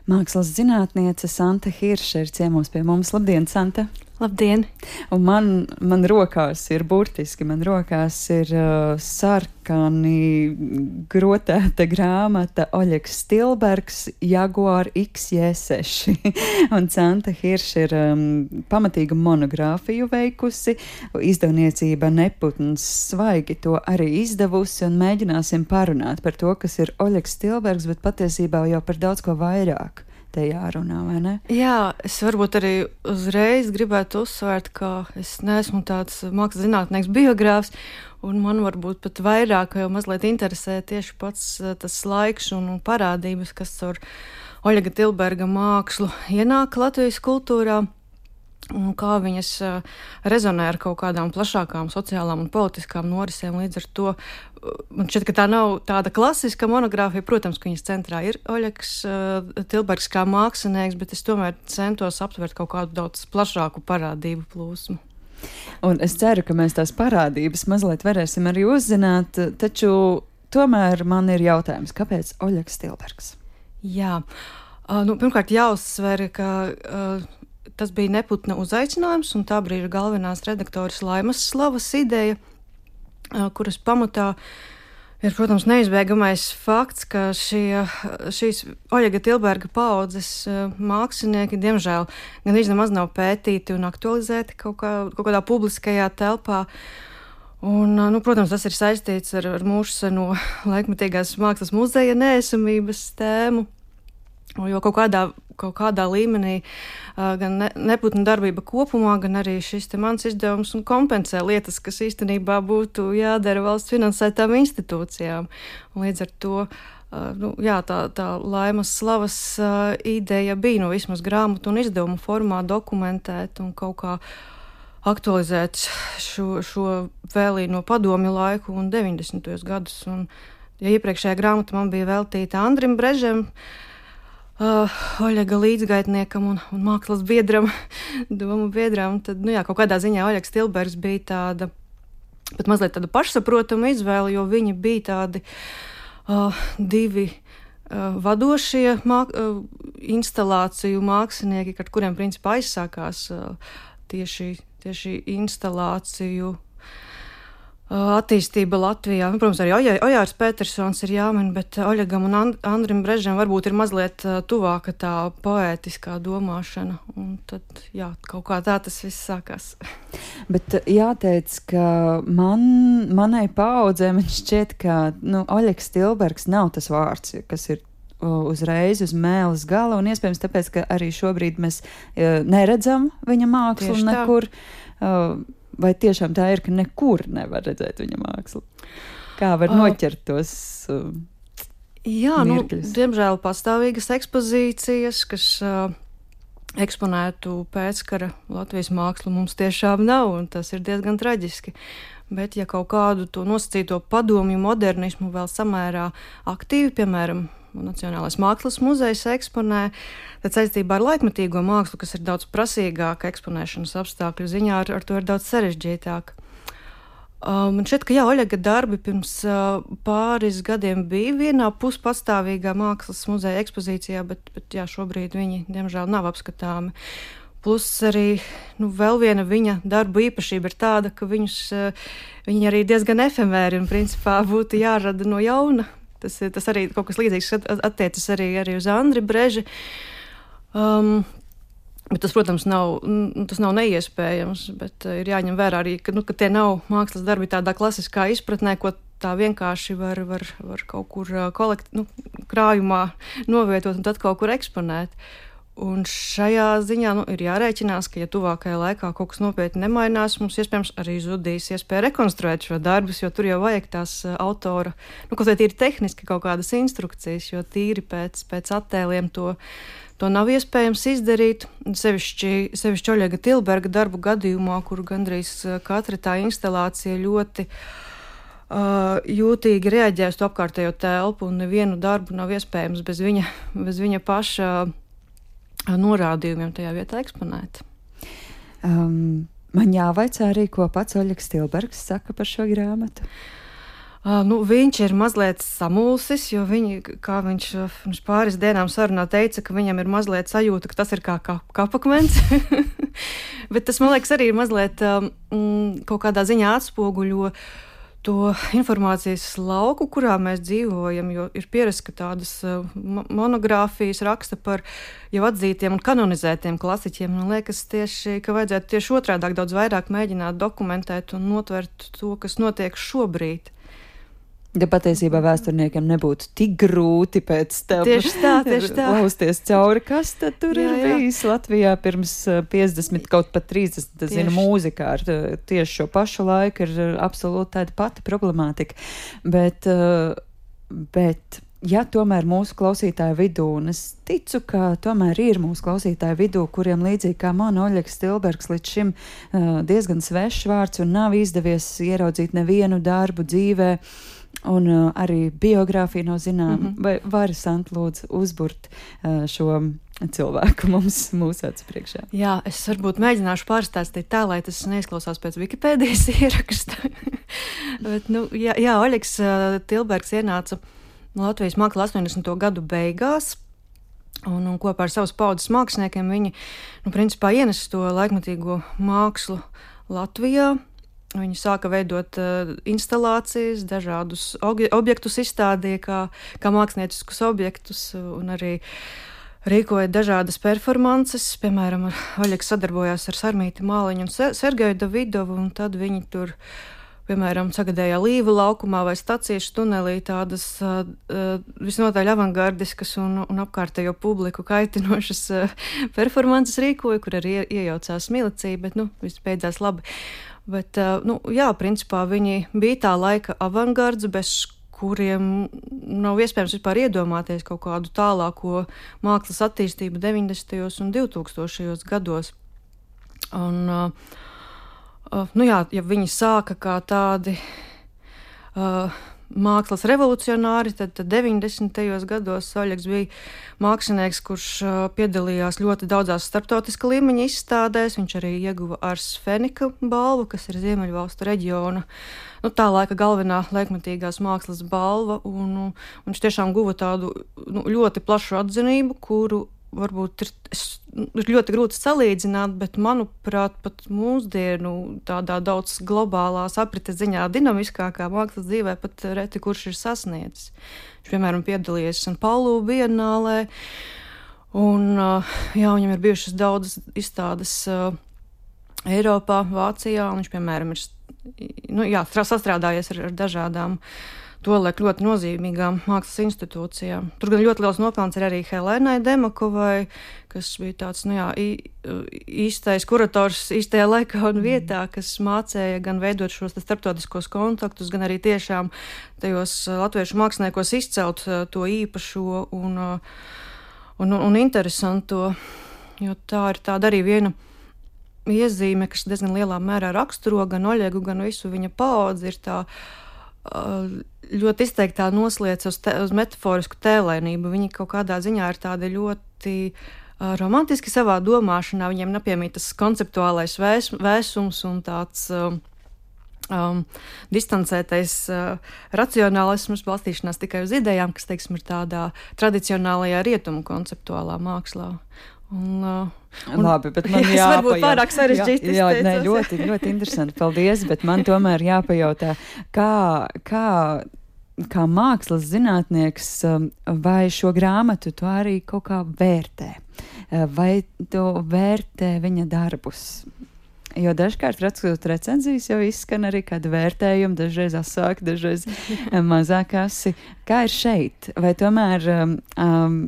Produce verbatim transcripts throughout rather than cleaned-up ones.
Mākslas zinātniece Santa Hirša ir ciemos pie mums. Labdien, Santa! Labdien! Un man, man rokās ir burtiski, man rokās ir uh, sarkani grotēta grāmata Oļegs Stilbergs Jaguar X J seši. Un Santa Hirša ir um, pamatīgu monogrāfiju veikusi, izdevniecība Neputns svaigi to arī izdevusi, un mēģināsim parunāt par to, kas ir Oļegs Stilbergs, bet patiesībā jau par daudz ko vairāk. Te jārunā, vai ne? Jā, es varbūt arī uzreiz gribētu uzsvērt, ka es neesmu tāds mākslas zinātnieks biogrāfs, un man varbūt pat vairāk jau mazliet interesē tieši pats tas laiks un parādības, kas ar Oļega Stilberga mākslu ienāk Latvijas kultūrā, un kā viņas rezonē ar kaut kādām plašākām sociālām un politiskām norisēm. Līdz ar to man šķiet, ka tā nav tāda klasiska monogrāfija. Protams, ka viņas centrā ir Oļegs Stilbergs kā mākslinieks, bet es tomēr centos aptvert kaut kādu daudz plašāku parādību plūsmu. Un es ceru, ka mēs tās parādības mazliet varēsim arī uzzināt, taču tomēr man ir jautājums, kāpēc Oļegs Stilbergs? Jā, uh, nu, pirmkārt jāuzsver, ka uh, tas bija Neputna uzaicinājums, un tā brīža galvenās redaktoras Laimas Slavas ideja, kuras pamatā ir, protams, neizbēgamais fakts, ka šie, šīs Oļega Stilberga paaudzes mākslinieki, diemžēl, gan nemaz nav pētīti un aktualizēti kaut, kā, kaut kādā publiskajā telpā. Un, nu, protams, tas ir saistīts ar, ar mūsu seno laikmetīgās mākslas muzeja neesamības tēmu, jo kaut kādā, kaut kādā līmenī gan ne, Neputna darbība kopumā, gan arī šis te mans izdevums un kompensē lietas, kas īstenībā būtu jādara valsts finansētām institūcijām. Un līdz ar to nu, jā, tā, tā Laimas Slavas ideja bija nu, vismaz grāmatu un izdevumu formā dokumentēt un kaut kā aktualizēt šo, šo vēlī no padomju laiku un deviņdesmitos gadus. Un, ja iepriekšējā grāmata man bija veltīta Andrim Brežem, Uh, Oļega līdzgaitniekam un, un mākslas biedram, domu biedram, tad, nu jā, kaut kādā ziņā Oļegs Stilbergs bija tāda, pat mazliet tāda pašsaprotama izvēle, jo viņi bija tādi uh, divi uh, vadošie māk, uh, instalāciju mākslinieki, ar kuriem principā aizsākās uh, tieši, tieši instalāciju attīstība Latvijā. Nu, protams, arī Ojārs Petersons ir jāmin, bet Oļegam un And- Andrim Brežam varbūt ir mazliet tuvāka tā poētiskā domāšana. Un tad, jā, kaut kā tā tas viss sākās. Bet jāteic, ka man, manai paaudzē man šķiet, ka nu, Oļegs Stilbergs nav tas vārds, kas ir uzreiz uz mēles gala, un iespējams tāpēc, ka arī šobrīd mēs uh, neredzam viņa mākslu Tieši nekur. Uh, Vai tiešām tā ir, ka nekur nevar redzēt viņa mākslu? Kā var noķert tos uh, Jā, mirkļus? Nu, diemžēl pastāvīgas ekspozīcijas, kas uh, eksponētu pēckara Latvijas mākslu mums tiešām nav, un tas ir diezgan traģiski. Bet ja kaut kādu to nosacīto padomju modernismu vēl samērā aktīvi, piemēram, Nacionālais mākslas muzejs eksponē, tad saistībā ar laikmetīgo mākslu, kas ir daudz prasīgāka eksponēšanas apstākļu ziņā, ar, ar to ir daudz sarežģītāk. Man um, šķiet, ka jā, Oļega darbi pirms uh, pāris gadiem bija vienā puspatstāvīgā mākslas muzeja ekspozīcijā, bet, bet jā, šobrīd viņi, diemžēl, nav apskatāmi. Plus arī nu, vēl viena viņa darbu īpašība ir tāda, ka viņus, uh, viņi arī diezgan efemēri un principā būtu jārada no jauna. Tas, tas arī kaut kas līdzīgs attiecas arī, arī uz Andri Breži. Um, bet tas, protams, nav, tas nav neiespējams, bet uh, ir jāņem vērā arī, ka, nu, ka tie nav mākslas darbi tādā klasiskā izpratnē, ko tā vienkārši var, var, var kaut kur uh, kolekt, nu, krājumā novietot un tad kaut kur eksponēt. Un šajā ziņā nu, ir jārēķinās, ka, ja tuvākajā laikā kaut kas nopietni nemainās, mums iespējams arī zudīs iespēja rekonstruēt šo darbus, jo tur jau vajag tās autora, nu, kaut vai tīri tehniski kaut kādas instrukcijas, jo tīri pēc, pēc attēliem to, to nav iespējams izdarīt. Sevišķi, sevišķi Oļega Stilberga darbu gadījumā, kur gandrīz katra tā instalācija ļoti uh, jūtīgi reaģē uz to apkārtējo telpu, un nevienu darbu nav iespējams bez viņa, bez viņa paša norādījumiem tajā vietā eksponēt. Um, man jāvaicā arī, ko pats Oļegs Stilbergs saka par šo grāmatu. Uh, nu, viņš ir mazliet samulsis, jo viņi, kā viņš pirms pāris dienām sarunā teica, ka viņam ir mazliet sajūta, ka tas ir kā kapakmens. Bet tas, man liekas, arī ir mazliet um, kaut kādā ziņā atspoguļo to informācijas lauku, kurā mēs dzīvojam, jo ir pierasts, ka tādas uh, monogrāfijas raksta par jau atzītiem un kanonizētiem klasiķiem. Man liekas, tieši, ka vajadzētu tieši otrādāk daudz vairāk mēģināt dokumentēt un notvert to, kas notiek šobrīd. Ja patiesībā vēsturniekiem nebūtu tik grūti pēc tam tieši tā, tieši tā. lausties cauri, kas tad tur jā, ir jā. bijis Latvijā pirms piecdesmit, kaut pat trīsdesmit, zinu, mūzikā ar tieši šo pašu laiku ir absolūti tāda pati problemātika. Bet, bet ja tomēr mūsu klausītāju vidū, un es ticu, ka tomēr ir mūsu klausītāju vidū, kuriem līdzīgi kā man Oļegs Stilbergs līdz šim uh, diezgan svešs vārds un nav izdevies ieraudzīt nevienu darbu dzīvē, un uh, arī biogrāfija nav zinām, mm-hmm. vai vari, Sant, lūdzu, uzburt uh, šo cilvēku mums mūsu acu priekšā? Jā, es varbūt mēģināšu pārstāstīt tā, lai tas neizklausās pēc Wikipēdijas ieraksta. Bet, nu, jā, jā, Oļegs uh, Stilbergs ienāca Latvijas māksla astoņdesmito gadu beigās, un, un kopā ar savas paudzes māksliniekiem viņi, nu, principā ienes to laikmatīgo mākslu Latvijā. Viņi sāka veidot uh, instalācijas, dažādus objektus izstādīja kā, kā mākslinieciskus objektus, un arī rīkoja dažādas performances. Piemēram, Oļegs sadarbojās ar Sarmīti Māliņu un Sergeju Davidovu, un tad viņi tur, piemēram, sagadējā Līvu laukumā vai Staciešu tunelī tādas uh, visnotaļ avangardiskas un, un apkārtējo publiku kaitinošas uh, performances rīkoja, kur arī iejaucās milicija, bet, nu, viss beidzās labi. Bet, uh, nu, jā, principā viņi bija tā laika avangards, bez kuriem nav iespējams vispār iedomāties kaut kādu tālāko mākslas attīstību deviņdesmitajos un divtūkstošajos gados. Un, uh, Uh, nu jā, ja viņi sāka kā tādi uh, mākslas revolucionāri, tad, tad deviņdesmitajos gados Oļegs bija mākslinieks, kurš uh, piedalījās ļoti daudzās starptautiska līmeņa izstādēs. Viņš arī ieguva Ars Fenika balvu, kas ir Ziemeļvalstu reģiona, nu, tā laika galvenā laikmatīgās mākslas balva, un, un viņš tiešām guva tādu, nu, ļoti plašu atzinību, kuru varbūt ir, ir ļoti grūti salīdzināt, bet, manuprāt, pat mūsdienu tādā daudz globālās aprites ziņā dinamiskākā mākslas dzīvē pat reti kurš ir sasniedzis. Viņš, piemēram, piedalījies San Paulu bienālē, un jā, viņam ir bijušas daudzas izstādes uh, Eiropā, Vācijā, un viņš, piemēram, ir nu, jā, sastrādājies ar, ar dažādām tolaik ļoti nozīmīgām mākslas institūcijām. Tur gan ļoti liels nopelns ir arī Helēnai Demakovai, kas bija tāds, nu jā, īstais kurators īstajā laikā un vietā, kas mācēja gan veidot šos starptautiskos kontaktus, gan arī tiešām tajos latviešu māksliniekos izcelt to īpašo un, un, un interesanto, jo tā ir tāda arī viena iezīme, kas diezgan lielā mērā raksturo gan Oļegu, gan visu viņa paudzi, ir tā ļoti izteiktā noslēdz uz, te, uz metaforisku tēlēnību. Viņi kaut kādā ziņā ir tādi ļoti uh, romantiski savā domāšanā. Viņiem nepiemīt tas konceptuālais vēs, vēsums un tāds um, um, distancētais uh, racionālisms, balstīšanās tikai uz idejām, kas, teiksim, ir tādā tradicionālajā rietumu konceptuālā mākslā. Un, uh, un, Labi, bet man jā, jāpajautā. Varbūt pārāk sarežģīti jā, jā, ne, ļoti, ļoti interesanti, paldies, bet man tomēr jāpajautā, kā, kā, kā mākslas zinātnieks, vai šo grāmatu tu arī kaut kā vērtē, vai tu vērtē viņa darbus? Jo dažkārt rakstot recenzijas jau izskan arī kādi vērtējumi, dažreiz asāki, dažreiz mazāk asi. Kā ir šeit? Vai tomēr um, um,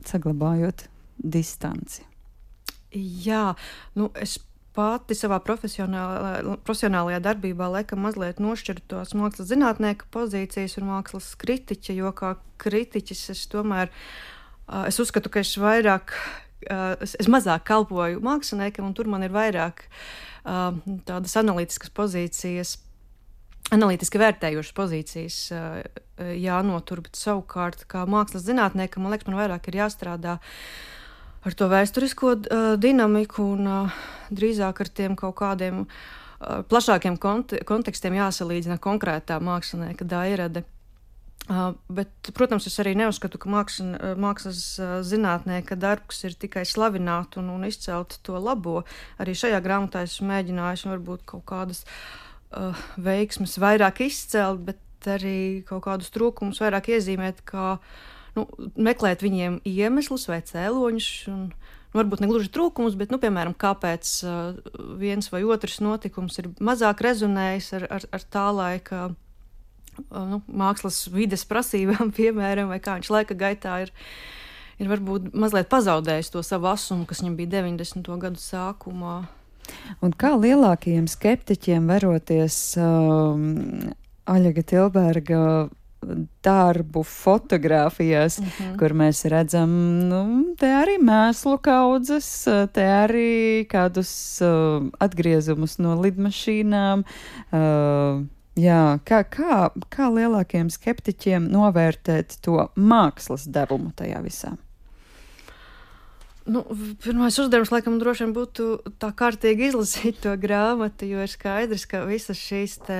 saglabājot distanci? Jā, nu es pati savā profesionālajā, profesionālajā darbībā laikam mazliet nošķiru tos mākslas zinātnieka pozīcijas un mākslas kritiķa, jo kā kritiķis es tomēr, es uzskatu, ka es vairāk, es, es mazāk kalpoju māksliniekam, un tur man ir vairāk tādas analītiskas pozīcijas, analītiski vērtējošas pozīcijas jānotur, bet savukārt kā mākslas zinātniekam, man liekas, man vairāk ir jāstrādā ar to vēsturisko uh, dinamiku un uh, drīzāk ar tiem kaut kādiem plašākiem kont kontekstiem jāsalīdzina konkrētā mākslinieka Dairade. Uh, bet, protams, es arī neuzskatu, ka māksla, mākslas zinātnieka darbs ir tikai slavināt un, un izcelt to labo. Arī šajā grāmatā es mēģināju varbūt kaut kādas uh, veiksmes vairāk izcelt, bet arī kaut kādus trūkumus vairāk iezīmēt, kā nu, meklēt viņiem iemeslus vai cēloņus. Un, nu, varbūt ne gluži trūkumus, bet, nu, piemēram, kāpēc uh, viens vai otrs notikums ir mazāk rezonējis ar, ar, ar tā laika Nu, mākslas vides prasībām, piemēram, vai kā viņš laika gaitā ir, ir varbūt mazliet pazaudējis to savu asumu, kas viņam bija deviņdesmito gadu sākumā. Un kā lielākajiem skeptiķiem veroties um, Oļega Tilberga darbu fotogrāfijās, uh -huh. kur mēs redzam, nu, te arī mēslu kaudzes, te arī kādus uh, atgriezumus no lidmašīnām, uh, Jā, kā, kā, kā lielākiem skeptiķiem novērtēt to mākslas devumu tajā visā? Nu, pirmais uzdevums, laikam, droši vien būtu tā kārtīgi izlasīt to grāmatu, jo ir skaidrs, ka visas šīs te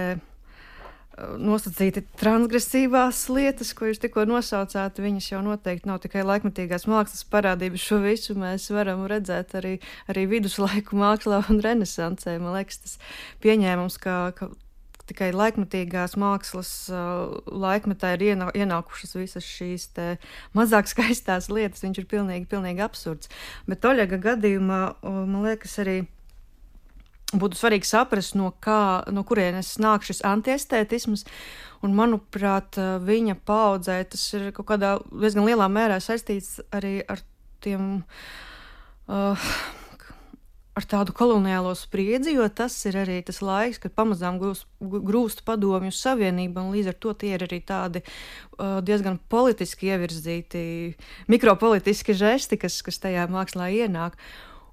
nosacīti transgresīvās lietas, ko jūs tikko nosaucāt, viņas jau noteikti nav tikai laikmetīgās mākslas parādības. Šo visu mēs varam redzēt arī, arī viduslaiku mākslā un renesansē. Man liekas, tas pieņēmums, ka, ka tikai laikmetīgās mākslas uh, laikmetā ir ienā, ienākušas visas šīs te mazāk skaistās lietas. Viņš ir pilnīgi, pilnīgi absurds. Bet Oļega gadījumā, uh, man liekas, arī būtu svarīgi saprast, no, kā, no kurienes nāk šis antiestētisms. Un, manuprāt, viņa paudzē tas ir kaut kādā diezgan lielā mērā saistīts arī ar tiem... Uh, ar tādu koloniālo spriedzi, jo tas ir arī tas laiks, kad pamazām grūst, grūst padomju savienība, un līdz ar to tie ir arī tādi uh, diezgan politiski ievirzīti, mikropolitiski žesti, kas, kas tajā mākslā ienāk.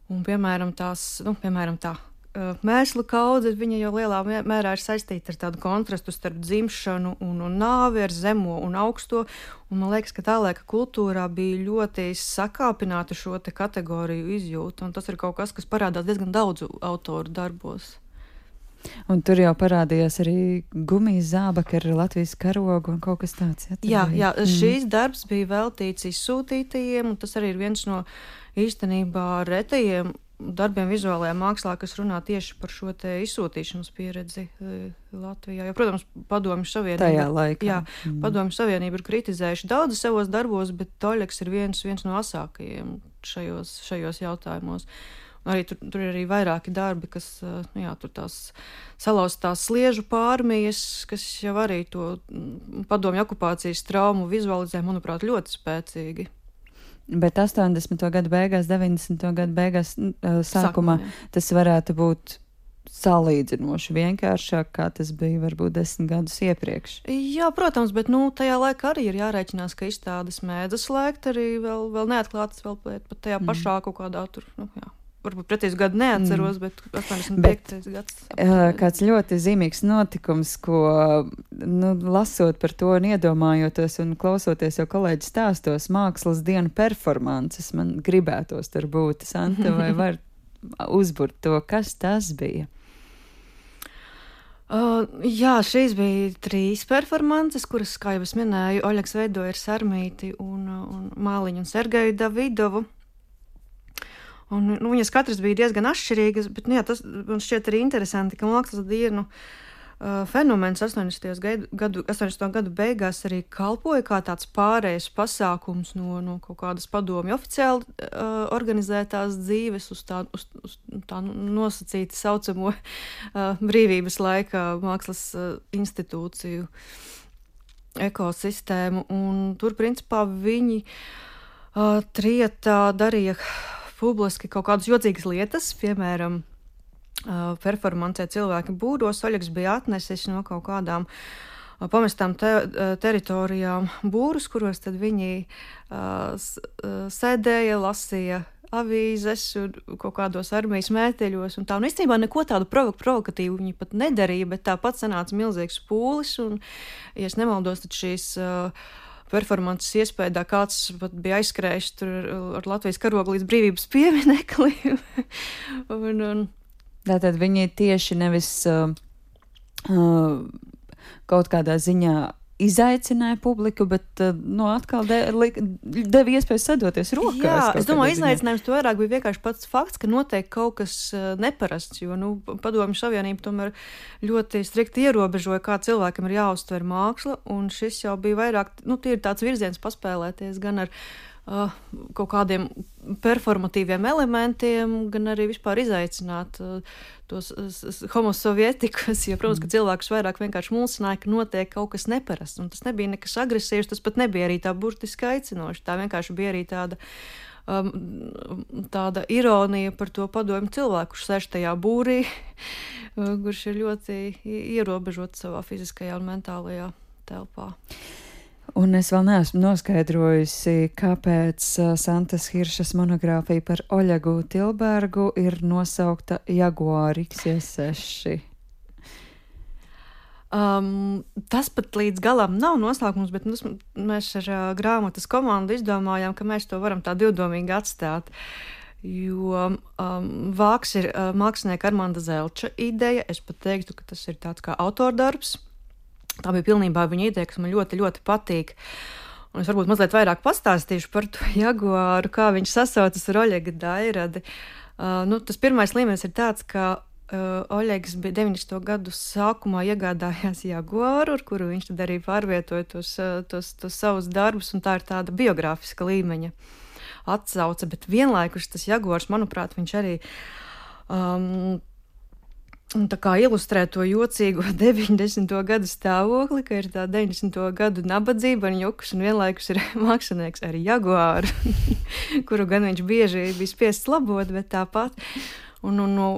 Un, piemēram, tās, nu, piemēram, tā uh, mēslu kaudze, viņa jau lielā mērā ir saistīta ar tādu kontrastu starp dzimšanu un, un nāvi, ar zemo un augsto. Un man liekas, ka tā laika kultūrā bija ļoti sakāpināta šo te kategoriju izjūta, un tas ir kaut kas, kas parādās diezgan daudzu autoru darbos. Un tur jau parādījās arī gumijas zābaki ar Latvijas karogu un kaut kas tāds. Jā, jā, jā, šīs mm. darbs bija veltīts izsūtītajiem, un tas arī ir viens no īstenībā retajiem darbiem vizuālajā mākslā, kas runā tieši par šo te izsūtīšanas pieredzi Latvijā. Jo, protams, Padomju Savienība... Tajā laikā. Jā, mm. Padomju Savienība ir kritizējuši daudzi savos darbos, bet Oļegs ir viens, viens no asākajiem šajos, šajos jautājumos. Arī tur, tur ir arī vairāki darbi, kas, nu jā, tur tās salauztās sliežu pārmijas, kas jau arī to padomju okupācijas traumu vizualizē, manuprāt, ļoti spēcīgi. Bet astoņdesmito gadu beigās, deviņdesmito gadu beigās sākumā, Sākumā tas varētu būt salīdzinoši vienkāršāk, kā tas bija varbūt desmit gadus iepriekš. Jā, protams, bet nu, tajā laikā arī ir jārēķinās, ka izstādes mēdzas slēgt arī vēl, vēl neatklātas, vēl pat tajā mm. pašā kaut kādā tur, nu jā. Varbūt pretīs gadu neatceros, mm. bet astoņdesmit piektais gads. Uh, kāds ļoti zīmīgs notikums, ko, nu, lasot par to un iedomājoties un klausoties jau kolēģi stāstos, mākslas dienu performances, man gribētos tur būt. Santa, vai var uzburt to, kas tas bija? Uh, jā, šīs bija trīs performances, kuras, kā jau es minēju, Oļegs veidoja ar Sarmīti un, un Māliņu un Sergeju Davidovu. Un, nu, viņas katras bija diezgan atšķirīgas, bet nu, jā, tas man šķiet arī interesanti, ka mākslas dienu uh, fenomens astoņdesmito gadu, astoņdesmito gadu beigās arī kalpoja kā tāds pārējais pasākums no, no kaut kādas padomju oficiāli uh, organizētās dzīves uz tā, uz, uz tā nosacīti saucamo uh, brīvības laikā mākslas uh, institūciju ekosistēmu. Un tur, principā, viņi uh, trietā darīja publiski kaut kādas jocīgas lietas, piemēram, uh, performancē cilvēki būros. Oļegs bija atnesis no kaut kādām uh, pamestām te, uh, teritorijām būrus, kuros tad viņi uh, s, uh, sēdēja, lasīja avīzes un kaut kādos armijas mēteļos un tā. Un īstenībā neko tādu provo provokatīvu viņi pat nedarīja, bet tāpat sanāca milzīgs pūlis un, ja es nemaldos, tad šīs uh, performances iespējā kāds pat bija aizskrējis tur ar Latvijas karogu līdz brīvības piemineklim. un, un, Tātad viņi tieši nevis uh, uh, kaut kādā ziņā izaicināja publiku, bet uh, no atkal de, li, deva iespēju sadoties rokās. Jā, es domāju, izaicinājums to vairāk bija vienkārši pats fakts, ka notiek kaut kas uh, neparasts, jo, nu, Padomju Savienība tomēr ļoti strikti ierobežoja, kā cilvēkam ir jāuztver māksla, un šis jau bija vairāk, nu, tie ir tāds virziens paspēlēties gan ar uh, kaut kādiem performatīviem elementiem, gan arī vispār izaicināt uh, tos homo sovietikus, jo, protams, ka cilvēkus vairāk vienkārši mulsināja, ka notiek kaut kas neparasts, un tas nebija nekas agresīvs, tas pat nebija arī tā burtiski aicinoši, tā vienkārši bija arī tāda, um, tāda ironija par to padomju cilvēku, kurš sēž tajā būrī, kurš ir ļoti ierobežots savā fiziskajā un mentālajā telpā. Un es vēl neesmu noskaidrojusi, kāpēc uh, Santas Hiršas monogrāfija par Oļegu Tilbergu ir nosaukta Jaguar X J seši. Um, tas pat līdz galam nav nosaukums, bet mums, mēs ar uh, grāmatas komandu izdomājām, ka mēs to varam tā divdomīgi atstāt. Jo um, vāks ir uh, mākslinieka Armanda Zelča ideja, es pat teiktu, ka tas ir tāds kā autordarbs. Tā bija pilnībā viņa ideja, kas man ļoti, ļoti patīk. Un es varbūt mazliet vairāk pastāstīšu par to Jaguāru, kā viņš sasaucas ar Oļega Dairadi. Uh, nu, tas pirmais līmenis ir tāds, ka uh, Oļegs bija deviņdesmito gadu sākumā iegādājās Jaguāru, ar kuru viņš tad arī pārvietoja tos, uh, tos, tos savus darbus, un tā ir tāda biogrāfiska līmeņa atsauce. Bet vienlaikus tas Jaguārs, manuprāt, viņš arī um, un tā kā ilustrē to jocīgo deviņdesmito gadu stāvokli, ka ir tā deviņdesmito gadu nabadzība un joks, un vienlaikus ir mākslinieks ar Jaguāru, kuru gan viņš bieži bija spiests labot, bet tāpat. Un, un, no,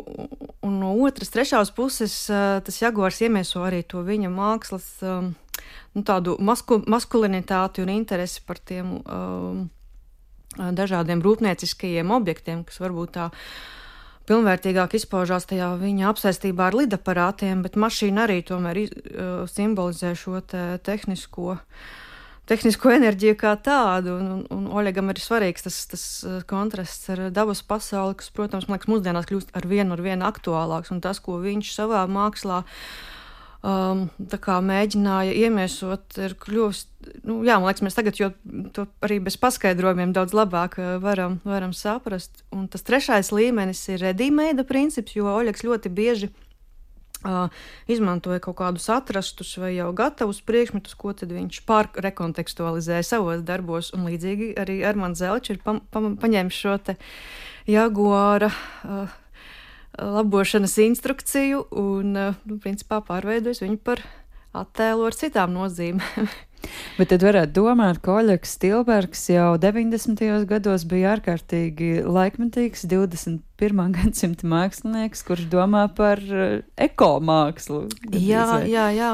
un no otras, trešās puses, tas Jaguārs iemieso arī to viņa mākslas, nu, tādu masku, maskulinitāti un interesi par tiem um, dažādiem rūpnieciskajiem objektiem, kas varbūt tā pilnvērtīgāk izpaužās tajā viņa apsēstībā ar lidaparātiem, bet mašīna arī tomēr uh, simbolizē šo te tehnisko, tehnisko enerģiju kā tādu, un, un, un Oļegam ir svarīgs tas, tas kontrasts ar dabas pasauli, kas, protams, man liekas, mūsdienās kļūst ar vienu ar vienu aktuālāks, un tas, ko viņš savā mākslā um, tā kā mēģināja iemiesot, ir kļūst, nu, jā, man liekas, mēs tagad jo to arī bez paskaidrojumiem daudz labāk varam, varam saprast. Un tas trešais līmenis ir ready-made princips, jo Oļegs ļoti bieži uh, izmantoja kaut kādus atrastus vai jau gatavus priekšmetus, ko tad viņš pārrekontekstualizēja savos darbos, un līdzīgi arī Armands Zelčs ir pa, pa, paņēmis šo te Jaguāra uh, labošanas instrukciju un, uh, nu, principā pārveidojis viņu par attēlu ar citām nozīmēm. Bet tad varētu domāt, ka Oļegs Tilbergs jau deviņdesmitajos gados bija ārkārtīgi laikmetīgs divdesmit pirmā gadsimta mākslinieks, kurš domā par ekomākslu. Jā, jā, jā.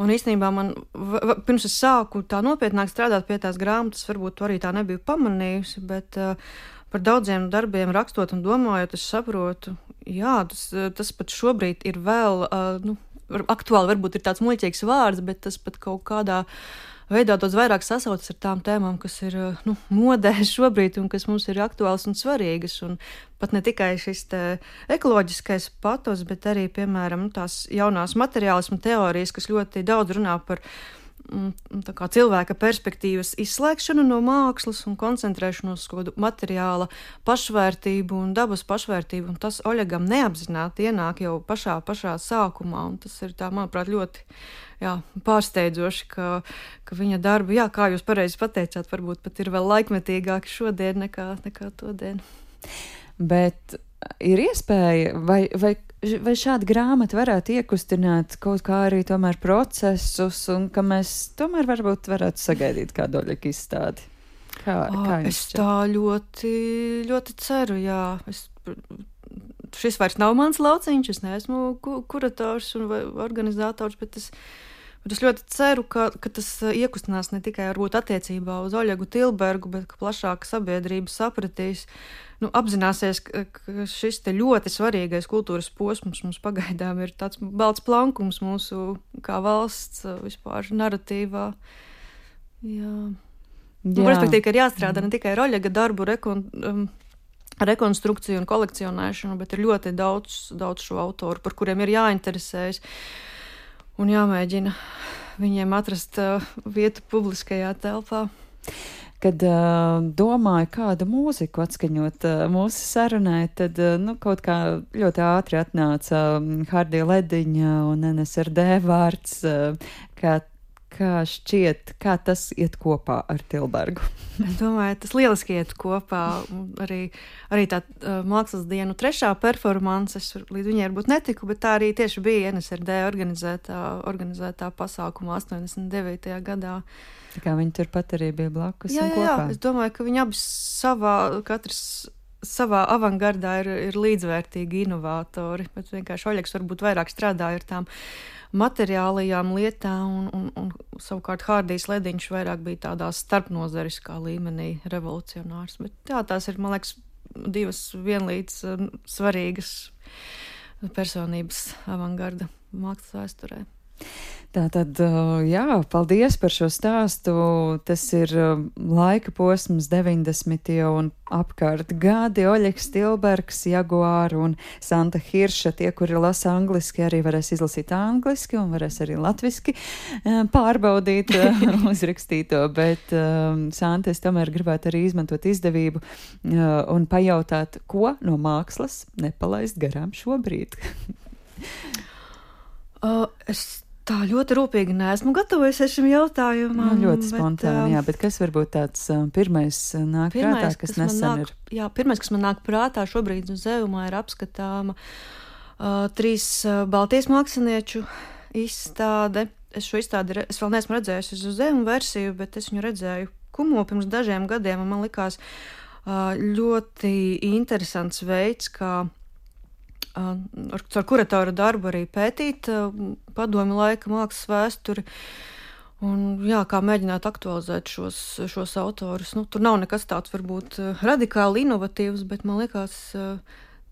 Un īstenībā man, v, v, pirms es sāku tā nopietnāk strādāt pie tās grāmatas, varbūt to arī tā nebiju pamanījusi, bet uh, par daudziem darbiem rakstot un domājot, es saprotu, jā, tas, tas pat šobrīd ir vēl, uh, nu, aktuāli varbūt ir tāds muļķīgs vārds, bet tas pat kaut kādā veidā daudz vairāk sasaucas ar tām tēmām, kas ir, nu, modē šobrīd un kas mums ir aktuāls un svarīgas. Un pat ne tikai šis te ekoloģiskais patos, bet arī, piemēram, tās jaunās materiālisma teorijas, kas ļoti daudz runā par tā kā cilvēka perspektīvas izslēgšanu no mākslas un koncentrēšanos uz kādu materiāla pašvērtību un dabas pašvērtību, un tas Oļegam neapzināti ienāk jau pašā, pašā sākumā, un tas ir tā, manuprāt, ļoti, jā, pārsteidzoši, ka, ka viņa darbi, jā, kā jūs pareizi pateicāt, varbūt pat ir vēl laikmetīgāki šodien nekā, nekā todien. Bet ir iespēja, vai, vai, vai šāda grāmata varētu iekustināt kaut kā arī tomēr procesus, un ka mēs tomēr varbūt varētu sagaidīt kādu Oļega izstādi? Kā, kā es tā ļoti, ļoti ceru, jā. Es, šis vairs nav mans lauciņš, es neesmu kurators un organizators, bet es, bet es ļoti ceru, ka, ka tas iekustinās ne tikai varbūt attiecībā uz Oļegu Tilbergu, bet ka plašāka sabiedrība sapratīs, nu, apzināsies, ka, ka šis te ļoti svarīgais kultūras posms mums pagaidām ir tāds balts plankums mūsu kā valsts vispār naratīvā. Jā. Nu, respektīvi, ka ir jāstrādā ne tikai ar Oļega darbu rekon, um, rekonstrukciju un kolekcionēšanu, bet ir ļoti daudz, daudz šo autoru, par kuriem ir jāinteresējas un jāmēģina viņiem atrast uh, vietu publiskajā telpā. Kad uh, domāju, kādu mūziku atskaņot uh, mūsu sarunai, tad uh, nu, kaut kā ļoti ātri atnāca um, Hardija Lediņa un N S R D vārds, uh, kā, kā šķiet, kā tas iet kopā ar Tilbergu. Es domāju, tas lieliski iet kopā. Arī, arī tā uh, mākslas dienu trešā performance, es līdz viņai varbūt netiku, bet tā arī tieši bija N S R D organizētā, organizētā pasākuma astoņdesmit devītajā gadā. Tā kā viņi turpat arī bija blakus jā, un jā, kopā. Jā, es domāju, ka viņi abi savā, katrs savā avangardā ir, ir līdzvērtīgi inovatori, bet vienkārši Oļegs varbūt vairāk strādāja ar tām materiālajām lietām, un, un, un savukārt Hārdijs Lediņš vairāk bija tādā starpnozariskā līmenī revolucionārs. Bet jā, tās ir, man liekas, divas vienlīdz uh, svarīgas personības avangarda mākslas vēsturē. Tātad, jā, paldies par šo stāstu. Tas ir laika posms deviņdesmitie un apkārt gadi. Oļegs Tilbergs, Jaguāra un Santa Hirša. Tie, kuri lasa angliski, arī varēs izlasīt angliski un varēs arī latviski pārbaudīt uzrakstīto. Bet, Santa, es tomēr gribētu arī izmantot izdevību un pajautāt, ko no mākslas nepalaist garām šobrīd. uh, es Tā ļoti rūpīgi neesmu gatavojusies šim jautājumam. Nu, ļoti spontāni, bet, jā, bet kas varbūt tāds uh, pirmais nāk pirmais, prātā, kas, kas nesen nāk, ir? Jā, pirmais, kas man nāk prātā šobrīd uz Zeumā, ir apskatāma uh, trīs uh, Baltijas mākslinieču izstāde. Es šo izstādi, es vēl neesmu redzējusi uz Zeumu versiju, bet es viņu redzēju Kumo pirms dažiem gadiem, un man likās uh, ļoti interesants veids, kā ar, ar kuratora darbu arī pētīt padomju laika mākslas vēsturi un jā, kā mēģināt aktualizēt šos, šos autorus. Nu, tur nav nekas tāds varbūt radikāli inovatīvs, bet man liekas,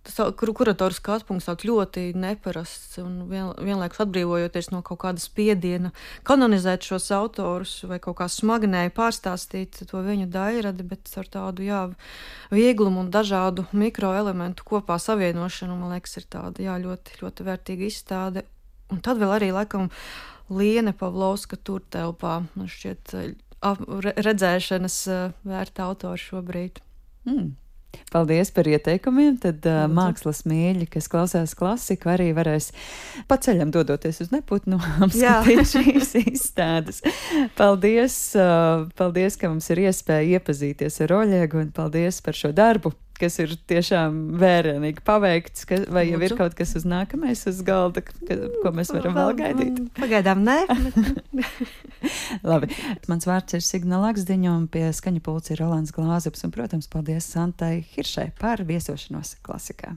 tas kuratora skatu punkts tāds ļoti neparasts un vien, vienlaikus atbrīvojoties no kaut kāda spiediena kanonizēt šos autorus vai kaut kā smagnēji pārstāstīt to viņu dairadi, bet ar tādu, jā, vieglumu un dažādu mikroelementu kopā savienošanu, man liekas, ir tāda, jā, ļoti, ļoti vērtīga izstāde. Un tad vēl arī, laikam, Liene Pavlovska tur telpā, man šķiet, redzēšanas vērta autori šobrīd. Mm. Paldies par ieteikumiem. Tad uh, mākslas mīļi, kas klausās klasiku, arī varēs pa ceļam dodoties uz Neputnu apskatīt šīs izstādes. Paldies, uh, paldies, ka mums ir iespēja iepazīties ar Oļegu, un paldies par šo darbu, kas ir tiešām vērienīgi paveikts, ka, vai jau ir kaut kas uz nākamais uz galda, ka, ko mēs varam vēl gaidīt? Pagaidām nē. Labi. Mans vārds ir Signa Laksdiņa, un pie skaņa pulca ir Rolands Glāzups, un, protams, paldies Santai Hiršai par viesošanos klasikā.